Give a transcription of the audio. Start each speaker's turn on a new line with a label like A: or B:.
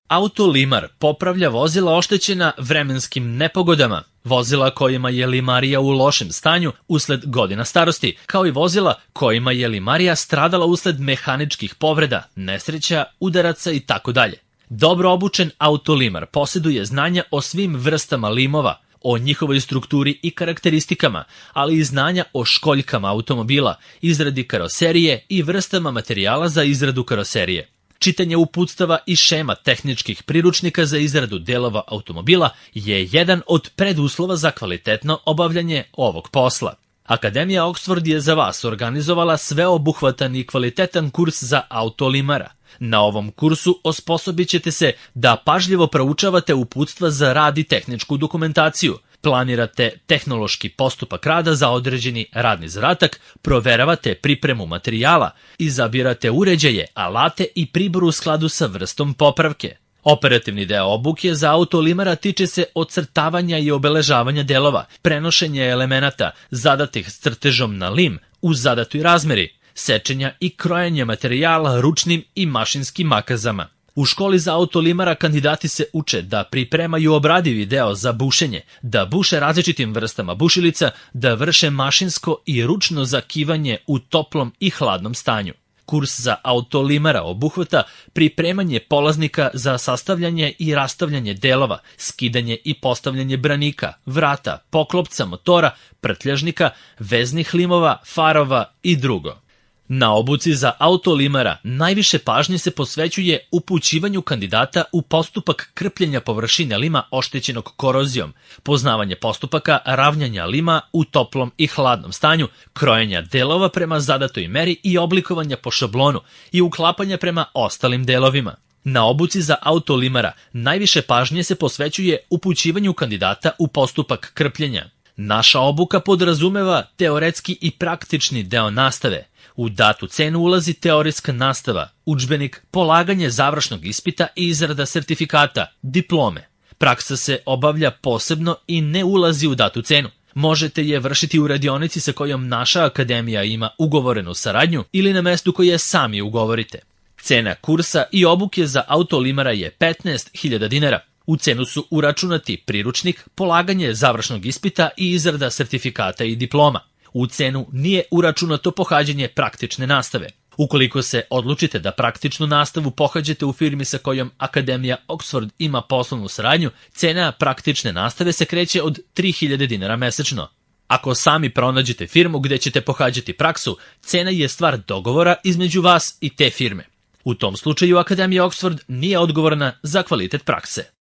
A: Autolimar popravlja vozila oštećena vremenskim nepogodama, vozila kojima je limarija u lošem stanju usled godina starosti, kao i vozila kojima je limarija stradala usled mehaničkih povreda, nesreća, udaraca itd. Dobro obučen autolimar posjeduje znanja o svim vrstama limova, o njihovoj strukturi i karakteristikama, ali i znanja o školjkama automobila, izradi karoserije i vrstama materijala za izradu karoserije. Čitanje uputstava i šema tehničkih priručnika za izradu delova automobila je jedan od preduslova za kvalitetno obavljanje ovog posla. Akademija Oxford je za vas organizovala sveobuhvatan i kvalitetan kurs za autolimara. Na ovom kursu osposobit ćete se da pažljivo proučavate uputstva za rad i tehničku dokumentaciju, planirate tehnološki postupak rada za određeni radni zadatak, proveravate pripremu materijala, izabirate uređaje, alate i pribor u skladu sa vrstom popravke. Operativni deo obuke za autolimara tiče se ocrtavanja i obeležavanja delova, prenošenja elemenata zadatih s crtežom na lim u zadatoj razmeri, sečenja i krojenja materijala ručnim i mašinskim makazama. U školi za autolimara kandidati se uče da pripremaju obradivi deo za bušenje, da buše različitim vrstama bušilica, da vrše mašinsko i ručno zakivanje u toplom i hladnom stanju. Kurs za autolimara obuhvata pripremanje polaznika za sastavljanje i rastavljanje delova, skidanje i postavljanje branika, vrata, poklopca motora, prtljažnika, veznih limova, farova i drugo. Na obuci za autolimara najviše pažnje se posvećuje upućivanju kandidata u postupak krpljenja površine lima oštećenog korozijom, poznavanje postupaka ravnjanja lima u toplom i hladnom stanju, krojenja delova prema zadatoj meri i oblikovanja po šablonu i uklapanja prema ostalim delovima. Na obuci za autolimara najviše pažnje se posvećuje upućivanju kandidata u postupak krpljenja. Naša obuka podrazumeva teoretski i praktični deo nastave. U datu cenu ulazi teorijska nastava, udžbenik, polaganje završnog ispita i izrada sertifikata, diplome. Praksa se obavlja posebno i ne ulazi u datu cenu. Možete je vršiti u radionici sa kojom naša akademija ima ugovorenu saradnju ili na mestu koje sami ugovorite. Cena kursa i obuke za autolimara je 15.000 dinara. U cenu su uračunati priručnik, polaganje završnog ispita i izrada sertifikata i diploma. U cenu nije uračunato pohađanje praktične nastave. Ukoliko se odlučite da praktičnu nastavu pohađate u firmi sa kojom Akademija Oxford ima poslovnu saradnju, cena praktične nastave se kreće od 3.000 dinara mesečno. Ako sami pronađete firmu gde ćete pohađati praksu, cena je stvar dogovora između vas i te firme. U tom slučaju Akademija Oxford nije odgovorna za kvalitet prakse.